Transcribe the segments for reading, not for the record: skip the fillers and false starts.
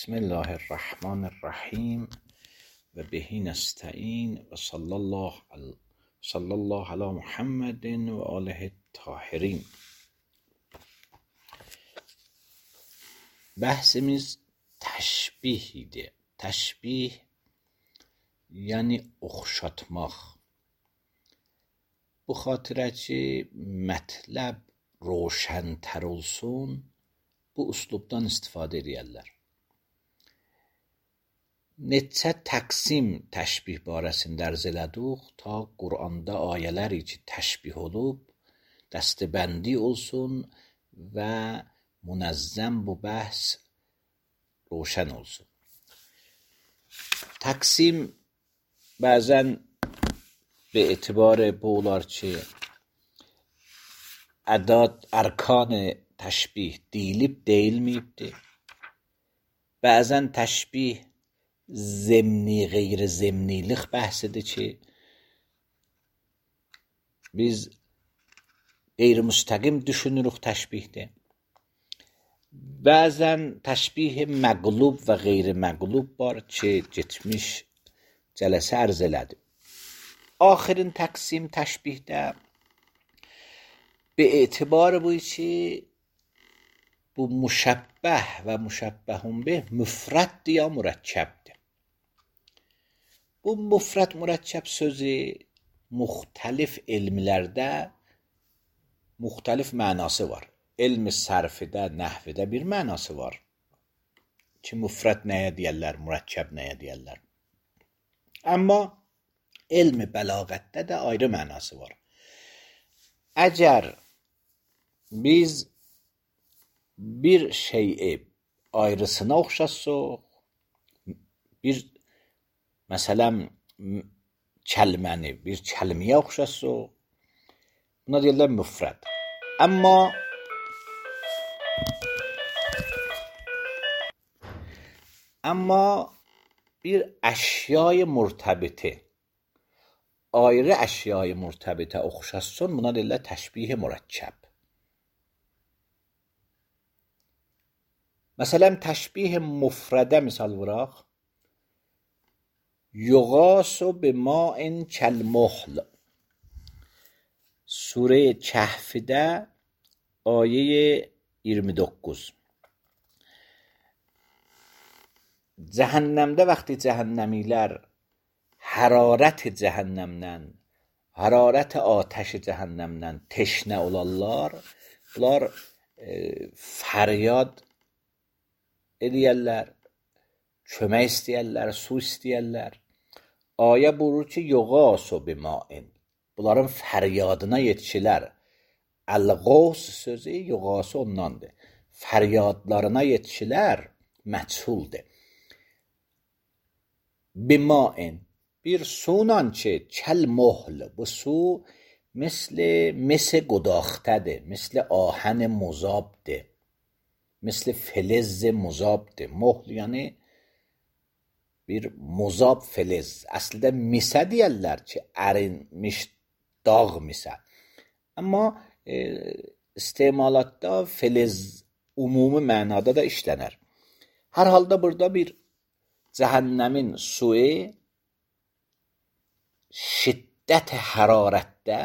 بسم الله الرحمن الرحیم و بهی نستعین و صلی الله علی محمد و آله الطاهرین. Bəhsimiz təşbih idi. Təşbih yəni oxşatmaq. Bu xatirə ki, mətləb roşəntər olsun, bu üslubdan istifadə edərlər. Neçə təqsim təşbih barəsində ərz elədik ta Quranda ayələri ki təşbih olub, dəstəbəndi olsun və منظم bu bəhs روشن olsun. Təqsim bəzən به اعتبار bu olar ki ədad ərkan təşbih deyilib deyilməyibdir. Bəzən təşbih zemni qeyri zemnilik bəhsidir ki biz qeyri müstəqim düşünürük təşbihdə. Bəzən təşbih məqlub və qeyri-məqlub var ki, getmiş cələsə ərz elədim. Axirin təqsim təşbihdə به اعتبار bu ki, bu müşəbbəh və müşəbbəhun bih müfrəddir ya mürəkkəbdir. Bu müfrəd mürəkkəb sözü müxtəlif elmlərdə müxtəlif mənası var. Elm-i sərfidə, nəhvidə bir mənası var ki, müfrəd nəyə deyərlər, mürəkkəb nəyə deyərlər. Amma elm-i bəlağətdə də ayrı mənası var. Əgər biz bir şeyi ayrısına oxşasaq, məsələn, kəlməni bir kəlməyə oxşasaq, buna deyirlər müfrəd. Amma bir əşyayı mürtəbiti, ayrı əşyayı mürtəbitə oxşasın, buna deyirlər təşbih mürəkkəb. Məsələn, təşbih müfrədə misal vuraq. Yuğasu bima'in kəlmuhl. Surə Kəhfdə ayə 29. Cəhənnəmdə vaxtı cəhənnəmilər hərarət cəhənnəmdən, hərarət atəş cəhənnəmdən teşnə olarlar. Bunlar fəryad edərlər, kömək istəyərlər, su istəyərlər. Ayə buyurur ki, yuğasu bima'in. Bunların fəryadına yetişilər. Əl-qavs sözü yuğasu ondandır. Fəryadlarına yetişilər məchuldur. Bima'in bir sunan ki kəlmuhl. Bu su mis qudاخته‌dir. مثل آهن مذابdır. مثل فلز مذابdır. Muhl yəni bir muzab filiz. Əslində misə deyərlər ki, ərinmiş dağ misə. Amma istemalatda filiz ümumi mənada da işlənər. Hər halda burada bir cəhənnəmin suyu şiddət hərarətdə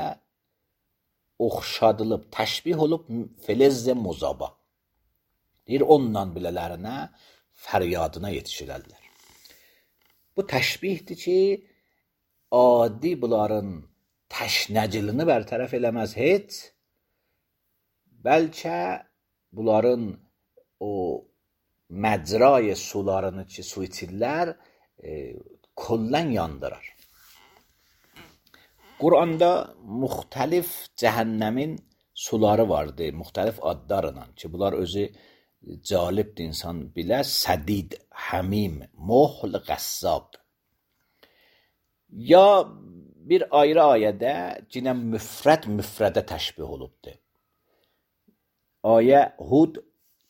oxşadılıb, təşbih olub filiz muzaba. Deyir, ondan bilələrinə fəryadına yetişirərlər. Bu təşbihdir ki, adi bunların təşnəcilini bərtərəf eləməz heç, bəlkə bunların o məcrayı sularını ki, su içirlər, kullən yandırar. Quranda müxtəlif cəhənnəmin suları vardır, müxtəlif adlarla ki, bunlar özü calibdir, insan bilə. Sədid, həmim, muhl, qəssab. Ya bir ayrı ayədə yenə müfrədə təşbih olubdur. Ayə Hud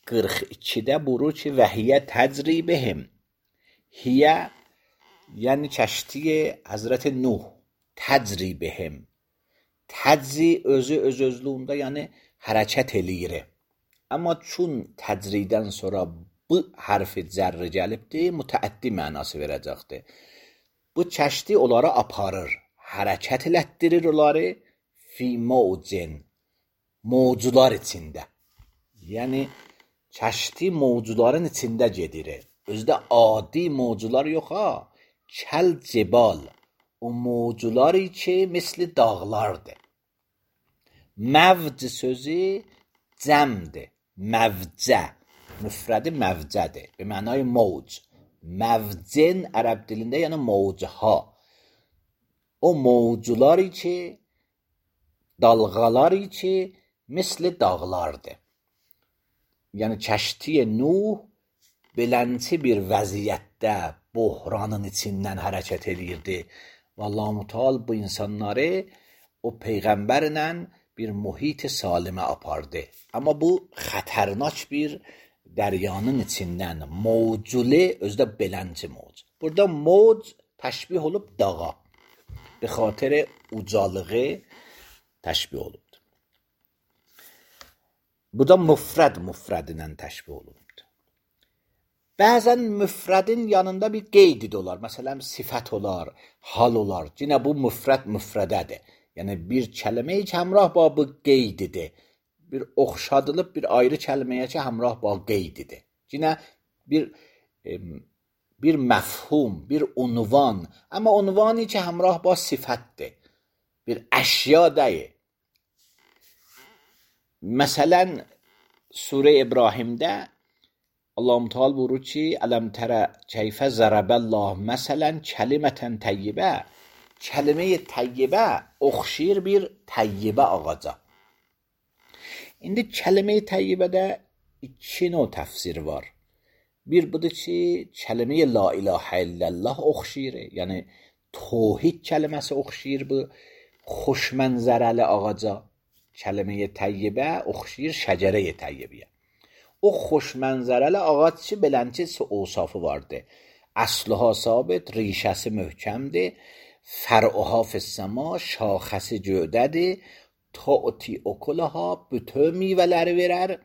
42-də buyurur ki, və hiyə təcri bihim. Hiyə yəni kəşti Həzrət Nuh. Təcri bihim. Təcri öz-özlüyündə yəni hərəkət eləyir. Amma çün təcridən sonra bu hərfi cərri gəlibdir, mütəəddi mənası verəcəkdir. Bu çəşdi onları aparır, hərəkət elətdirir onları fi mawcin, mawcular içində. Yəni çəşdi mawcuların içində gedir. Özdə adi mawcular yox ha. Kəl cibal, o mawcuları ki misli dağlardır. Məvc sözü cəmdir. Məvcə, müfrədi məvcədir. Be mənay mawc. Məvcin ərəb dilində yəni mawcha. O mawcuları ki, dalğaları ki misli dağlardır. Yəni kəşti Nuh belənçi bir vəziyyətdə buhranın içindən hərəkət edirdi. Və Allah-u Teala bu insanları o peyğəmbərlə bir mühit salimə apardı. Amma bu xətərnak bir dəryanın içindən mawculi özdə belənçi mawc. Burada mawc təşbih olub dağa. Be xatir ucalığı təşbih olubdur. Bu da müfrədinlə təşbih olubdur. Bəzən müfrədin yanında bir qeyd olar. Məsələn, sifət olar, hal olar. Yenə bu müfrədədir. Yəni bir kəlməyə ki, həmrah ba bu qeydidir. Bir oxşadılıb bir ayrı kəlməyə ki, həmrah ba qeydidir. Yenə bir məfhum, bir unvan. Amma unvanı ki, həmrah ba sifətdir. Bir əşya deyil. Məsələn, Surə İbrahimdə Allah-u Teala buyurur ki, ələm tərə keyfə zərəbəllah məsələn kəlimətən təyyibə. Kəlime-i təyyibə oxşayır bir təyyibə ağaca. İndi kəlime-i təyyibədə iki növ təfsir var. Bir budur ki, kəlime-i la ilahə illallah oxşayır. Yəni tövhid kəlməsi oxşayır bu xoşmənzərəli ağaca. Kəlime-i təyyibə oxşayır şəcərə-i təyyibəyə. O xoşmənzərəli ağac ki, belənçi ovsafı vardır. Əsluha sabit, rişəsi möhkəmdir. Fər'uha fissəma, şaxəsi gövdədir. Ta'ti ukulaha, bütün meyvələri verər.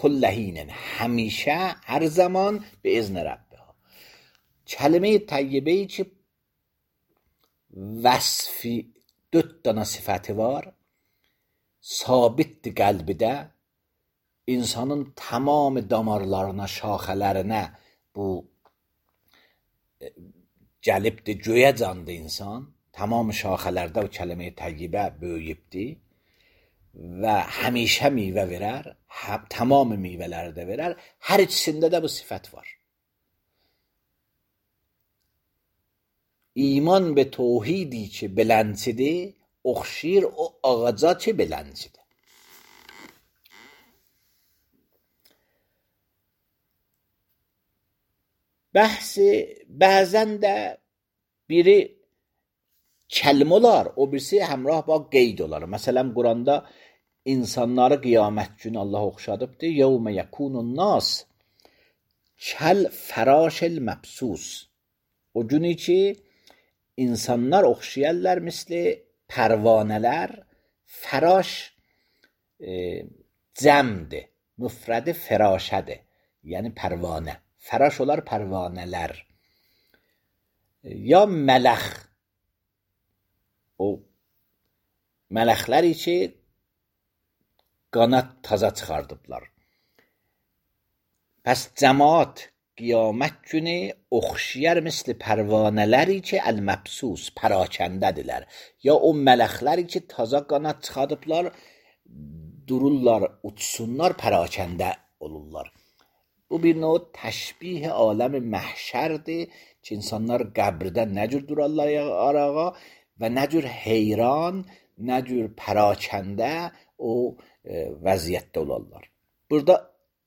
Kulləhinin, həmişə, hər zaman bi izni Rəbbiha. Kəlime-i təyyibəyi ki, vəsfi 4 dana sifəti var. Sabitdir qəlbidə. İnsanın tamam damarlarına, şaxələrinə bu gəlibdir, göyə candı insan. Tamam şaxələrdə o kəlime-i təyyibə böyüyübdir və həmişə meyvə verər, tamam meyvələri də verər. Hər ikisində də bu sifət var. İman və tövhidi ki belənçidir, oxşayır o ağaca ki belənçidir. Bəzən də biri kəlmə olar, o birisi həmrah ba qeyd olar. Məsələn, Quranda insanları qiyamət günü Allah oxşadıbdır. Yevmə yəkunun nas kəl fərashil məbsus. O günü ki, insanlar oxşayarlar misli pərvanələr. Fəraş cəmdir. Müfrədi fərashədir. Yəni pərvanə. Fəraş olar pərvanələr. Ya mələx. O mələxləri ki qanat taza çıxardıblar. Pəs cəmaat qiyamət günü oxşayar misli pərvanələri ki əl-məbsus, pərakəndədirlər. Ya o mələxləri ki taza qanat çıxardıblar, dururlar, uçsunlar, pərakəndə olurlar. Bu bir növ təşbih aləm məhşərdir ki, insanlar qəbirdən nə cür durarlar arağa və nə cür heyran, nə cür pərakəndə o vəziyyətdə olarlar. Burada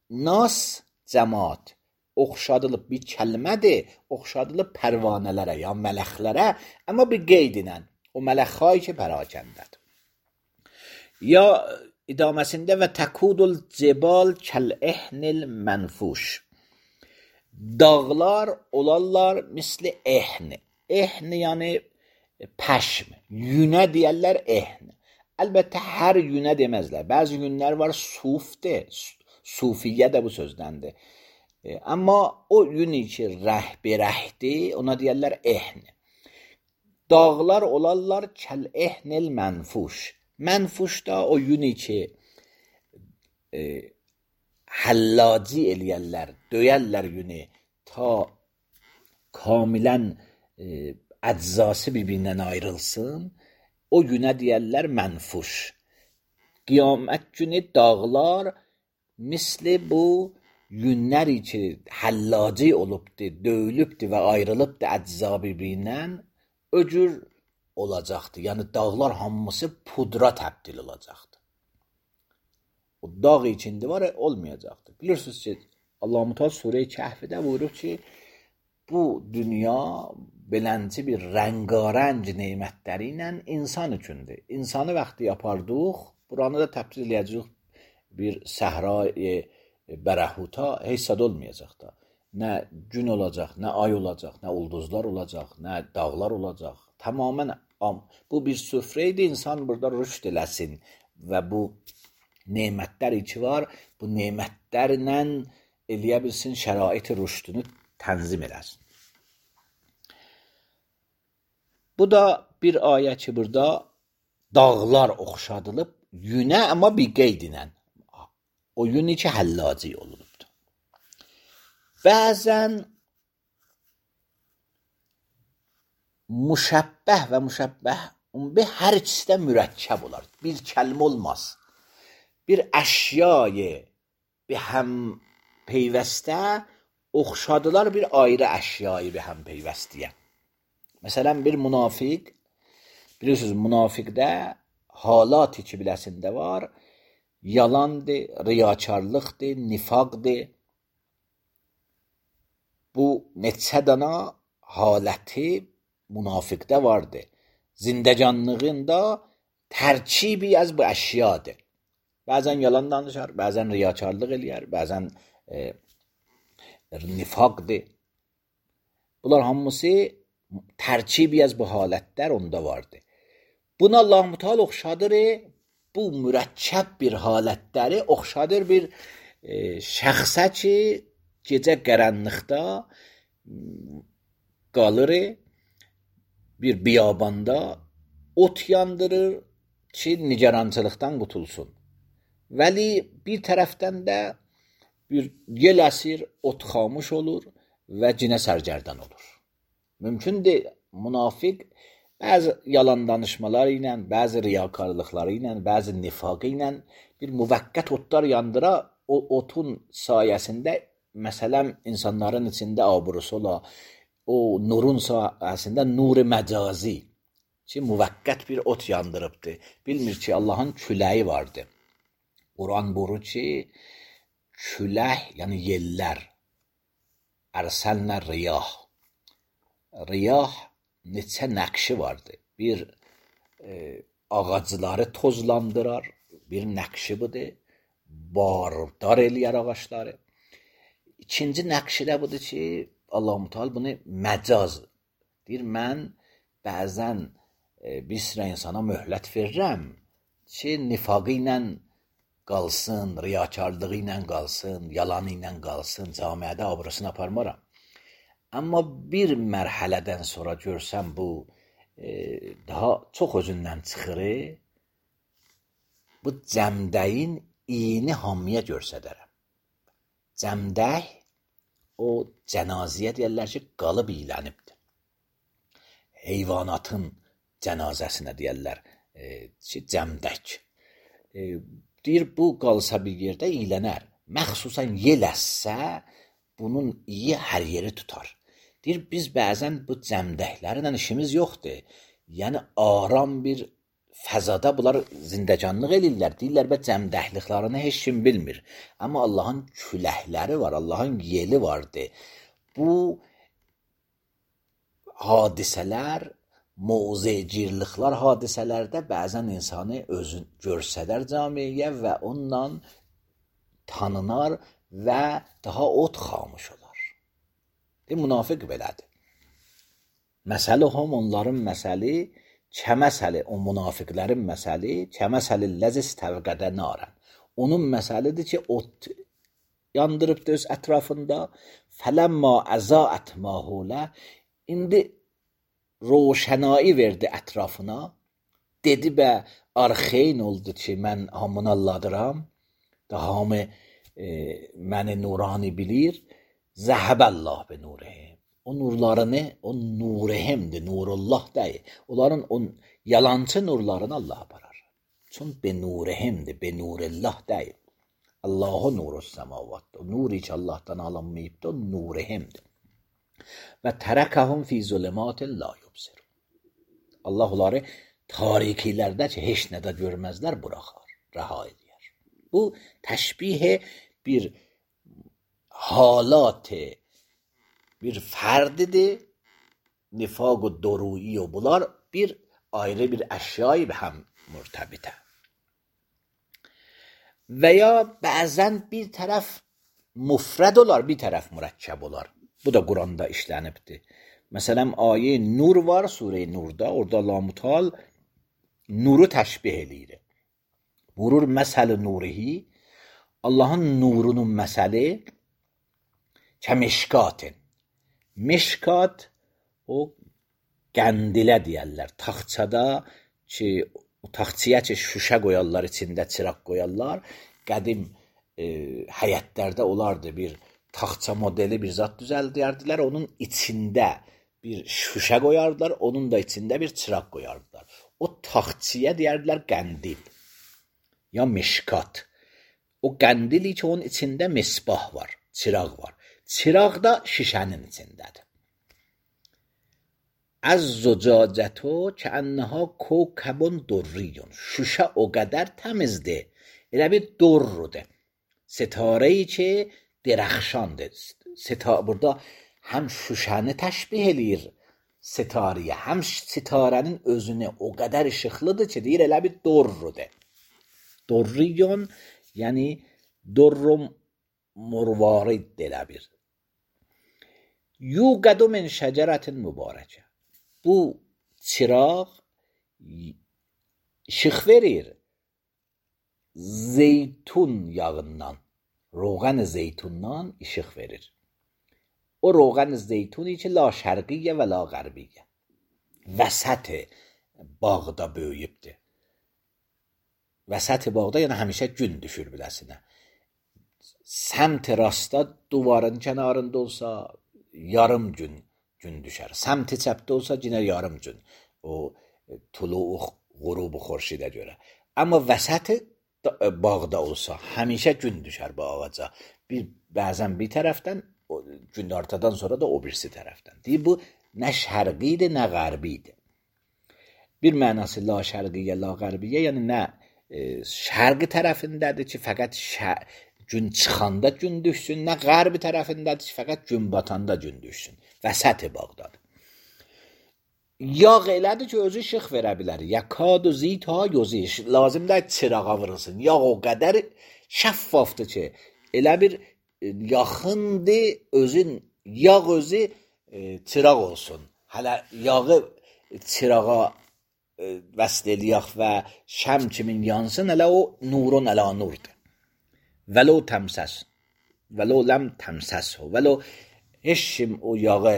nas cəmaat oxşadılıb bir kəlmədir, oxşadılıb pərvanələrə ya mələxlərə, amma bir qeyd ilə o mələxhay ki pərakəndədir. Ya idaməsində və təkudul cibal kəl-ehnil mənfuş. Dağlar olarlar misli ehni. Ehni yəni pəşm. Yünə deyərlər ehni. Əlbəttə hər yünə deməzlər. Bəzi yünlər var sufdir. Sufiyyə də bu sözdəndir. Amma o yünü ki rəh berəhdir, ona deyərlər ehn. Dağlar olarlar kəl ehnil mənfuş. Mənfuş da o yünü ki həllaci eləyərlər, döyərlər yünü ta kamilən əczası bir-birindən ayrılsın, o günə deyərlər mənfuş. Qiyamət günü dağlar misli bu yünləri ki həllaci olubdur, döyülübdür və ayrılıbdır əcza bir-birindən, öcür olacaqdır. Yəni dağlar hamısı pudra təbdil olacaqdır. O dağ içində var, olmayacaqdır. Bilirsiniz ki, Allah-u Teala Surə-i Kəhfdə buyurub ki, bu dünya belənci bir rəngarəng nemətləri ilə insan üçündür. İnsanı vaxtı yapardıq, buranı da təbdil edəcək bir səhra-i bərəhuta heç sad olmayacaq da. Nə gün olacaq, nə ay olacaq, nə ulduzlar olacaq, nə dağlar olacaq. Tamamən bu bir süfrə idi, insan burada rüşd eləsin və bu nemətlər ki var, bu nemətlərlə eləyə bilsin, şərait-i rüşdünü tənzim eləsin. Bu da bir ayə ki, burada dağlar oxşadılıb, yünə amma bir qeyd ilə. O yünü ki, həllaci olunubdur. Bəzən müşəbbəh və müşəbbəh hər ikisi də mürəkkəb olar. Bir kəlmə olmaz. Bir əşyayı bir həm peyvəstə oxşadılar bir ayrı əşyayı bir həm peyvəstiyə. Məsələn, bir münafiq, bilirsiniz, münafiqdə halat ki biləsində var, yalandır, riyakarlıqdır, nifaqdır. Bu neçə dana haləti münafiqdə vardır. Zindəcanlığında tərkibi az bu əşyadır. Bəzən yalan danışar, bəzən riyakarlıq eləyər, bəzən nifaqdır. Bunlar hamısı tərkibi az bu halətlər onda vardır. Buna Allah-u Teala oxşadır, bu mürəkkəb bir halətləri oxşadır bir şəxsə ki, gecə qaranlıqda qalır, bir biyabanda ot yandırır ki, nigarançılıqdan qutulsun. Vəli bir tərəfdən də bir yel əsir, ot xamış olur və cinə sərgərdan olur. Mümkündür, münafiq bəzi yalan danışmaları ilə, bəzi riyakarlıqları ilə, bəzi nifaqı ilə bir müvəqqət otlar yandıra, o otun sayəsində məsələn insanların içində abrusu ola, o nurun sayəsində nur-i məcazi ki, müvəqqət bir ot yandırıbdır. Bilmir ki, Allahın küləyi vardır. Quran buyurur ki, küləh, yəni yellər, ərsəlnə riyah. Riyah neçə nəqşi vardır. Bir ağacları tozlandırar, bir nəqşi budur, bardar eləyər ağaçları. İkinci nəqşi də budur ki, Allah-u Teala bunu məcaz deyir. Mən bəzən bir sıra insana möhlət verirəm ki, nifaqı ilə qalsın, riyakarlığı ilə qalsın, yalanı ilə qalsın, camiədə abrasını aparmaram. Amma bir mərhələdən sonra görsəm bu daha çox özündən çıxır, bu cəmdəyin iyini hamıya görsədərəm. Cəmdək o cənaziyə deyərlər ki, qalıb iyilənibdir. Heyvanatın cənazəsinə deyərlər ki, cəmdək. Deyir, bu qalsa bir yerdə iyilənər. Məxsusən yel əssə, bunun iyi hər yeri tutar. Deyir, biz bəzən bu cəmdəklərlə işimiz yoxdur. Yəni, aram bir fəzada bunlar zindəcanlıq eləyirlər. Deyirlər, bə cəmdəkliklərini heç kim bilmir. Amma Allahın küləkləri var, Allahın yeli vardır. Bu hadisələr, muzecirliklər hadisələrdə bəzən insanı özün görsədər camiyə və onunla tanınar və daha ot xamış olar. Münafiq belədir. Məsələhum onların məsəli, kəməsəli o münafiqlərin məsəli, kəməsəli ləzis təvqədə narən. Onun məsəlidir ki, ot yandırıbdı öz ətrafında. Fələmma əzaət ma hulə. İndi roşənayı verdi ətrafına. Dedi bə arxeyn oldu ki, mən hamını alladıram. Da hamı məni nurani bilir. Zəhəbəllah be nurihim. O nurlarını, o nurihimdir, nurullah deyil. Onların o yalancı nurlarını Allah aparar. Çünkü be nurihimdir, be nurillah deyil. Allahu nurus semavatdır. O nuri ki Allah'tan alınmayıbdır, o nurihimdir. Və tərəkəhum fi zulümatin la yubsirun. Allah onları tarikilərdə ki, heç nə də görməzlər, buraxar, rəha edir. Bu təşbih bir halatı, bir ferdidir. Nifaq و دورویی و bunlar bir ayrı bir əşyayı به هم مرتبطه. Və ya bəzən bir tərəf mufrad olar, bir tərəf mürəkkəb olar. Bu da Quranda işlənibdir. Məsələn, ayə Nur var, Surə Nurda. Orada Allah Mutal nuru təşbih eləyir. Vurur məsəl nurihi. Allahın nurunun məsəli kəmişkatin. Mişkat o qəndilə deyərlər. Taxçada ki, o taxçıya ki, şüşə qoyarlar, içində çıraq qoyarlar. Qədim həyətlərdə olardı, bir taxça modeli bir zat düzəldərdilər. Onun içində bir şüşə qoyardılar, onun da içində bir çıraq qoyardılar. O taxçıya deyərdilər qəndil ya mişkat. O qəndili ki, onun içində misbah var, çıraq var. Çıraq da şişənin içindədir. Az-zucacətu kəənnəhə kowkəbun durriyun. Şüşə o qədər təmizdir. Elə bir durrudur. Sitarəyi ki, dirəxşandır. Burada həm şüşəni təşbih eləyir sitarəyə, həm sitarənin özünü o qədər işıqlıdır ki, deyir elə bir durrudur. Durriyun, yəni durrum murvarid elə bir. Yuqədu min şəcərətin mübarəkə. Bu çıraq işıq verir zeytun yağından, roğan zeytundan işıq verir. O roğan zeytuni ki, la şərqiyyə və la qərbiyyə. Vəsət bağda böyüyübdür. Vəsət bağda, yəni həmişə gün düşür biləsinə. Səmt rastda duvarın kənarında olsa, yarım gün düşər. Səmt çəpdə olsa, yenə yarım gün. O tuluq, qurubu xorşidə görə. Amma vəsət bağda olsa, həmişə gün düşər bu ağaca. Bəzən bir tərəfdən, gün ortadan sonra da o birisi tərəfdən. Deyir, bu nə şərqidir, nə qərbidir. Bir mənası la şərqiyyə, la qərbiyyə, yəni nə şərqi tərəfindədir ki, fəqət gün çıxanda gün düşsün, nə qərbi tərəfindədir ki, fəqət gün batanda gün düşsün. Vəsət bağdadır. Yağ elədir ki, özü işıq verə bilər. Yəkad u zita yuziş. Lazımdır çırağa vurulsun. Yağ o qədər şəffafdır ki, elə bir yaxındır, yağ özü çıraq olsun. Hələ yağı çırağa vəsl eləyək və şəm kimin yansın, hələ o nurun əla nurdur. Vəlo təmsəs, vəlo ləm təmsəs, vəlo heç kim o yağı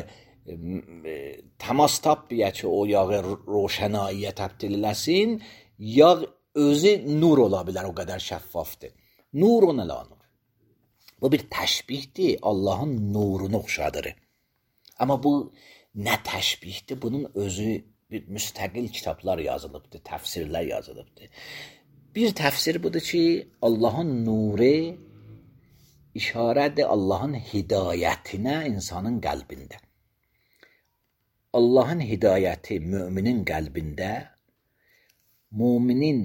təmas tapmaya ki, o yağı roşənayiyə təbdil eləsin, yağ özü nur ola bilər, o qədər şəffafdır. Nurun əla nur. Bu bir təşbihdir, Allahın nurunu oxşadır. Amma bu nə təşbihdir? Bunun özü bir müstəqil kitablar yazılıbdır, təfsirlər yazılıbdır. Bir təfsir budur ki, Allahın nuru işarədir Allahın hidayətinə insanın qəlbində. Allahın hidayəti müminin qəlbində, müminin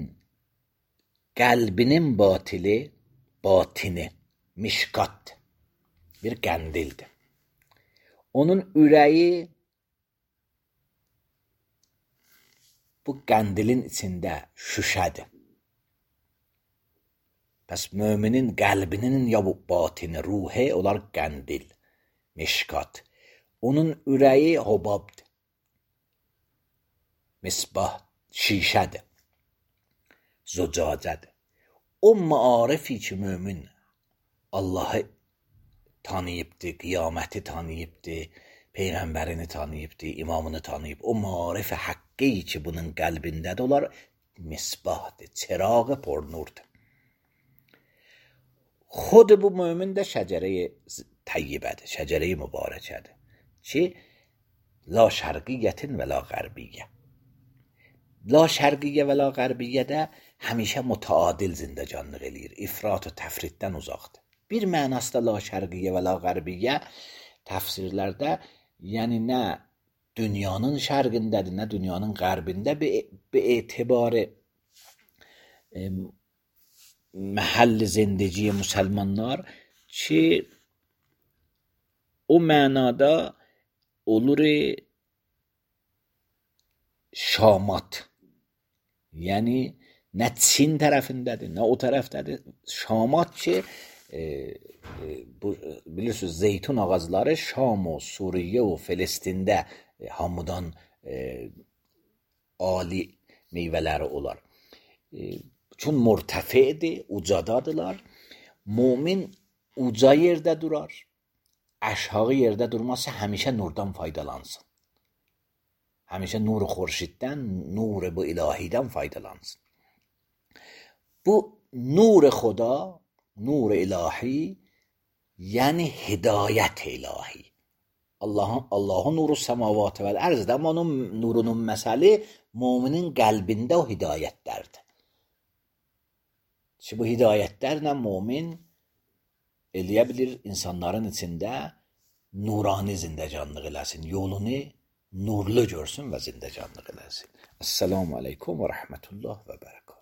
qəlbinin batini, mişqat, bir qəndildir. Onun ürəyi bu qəndilin içində şüşədir. Pəs müminin qəlbinin ya bu batini, ruhi, onlar qəndil, mişqat. Onun ürəyi hobabdır, misbah, şişədir, zucacədir. O maarifi ki, mümin Allah'ı tanıyıbdı, qiyaməti tanıyıbdı, peyğəmbərini tanıyıbdı, imamını tanıyıb. O marif haqqi ki bunun qəlbindədir, onlar misbahdır, çırağı purnurdur. Xod bu mömin də şəcərə-i tayyibədir, şəcərə-i mübarəkədir ki, la şərqiyyətin və la qərbiyyə. La şərqiyyə və la qərbiyyə də həmişə mütəadil zindəcanlıq eləyir, ifrat və təfriddən uzaqdır. Bir mənası da la şərqiyyə və la qərbiyyə təfsirlərdə, yəni nə dünyanın şərqindədir, nə dünyanın qərbində be etibarı məhəlli zindəciyə müsəlmanlar ki, o mənada olur şamat. Yəni nə Çin tərəfindədir, nə o tərəfdədir. Şamat ki, bilirsiniz, zeytun ağacları Şam و Suriyə و Filistində hamıdan ali meyvələri olar. Çün mürtəfidir, ucadadılar. Mümin uca yerdə durar. Aşağı yerdə durmazsa həmişə nurdan faydalansın. Həmişə nur xورشیدdən, nur bu ilahidən faydalansın. Bu nur xuda, nur ilahi, yəni hidayət ilahi. Allahın nuru səmavatı vəl ərzdə, amma onun nurunun məsəli müminin qəlbində o hidayətlərdir. Bu hidayətlərlə mümin eləyə bilir insanların içində nurani zindəcanlıq eləsin, yolunu nurlu görsün və zindəcanlıq eləsin. Esselamu aleykum və rəhmətullah və bərəkət.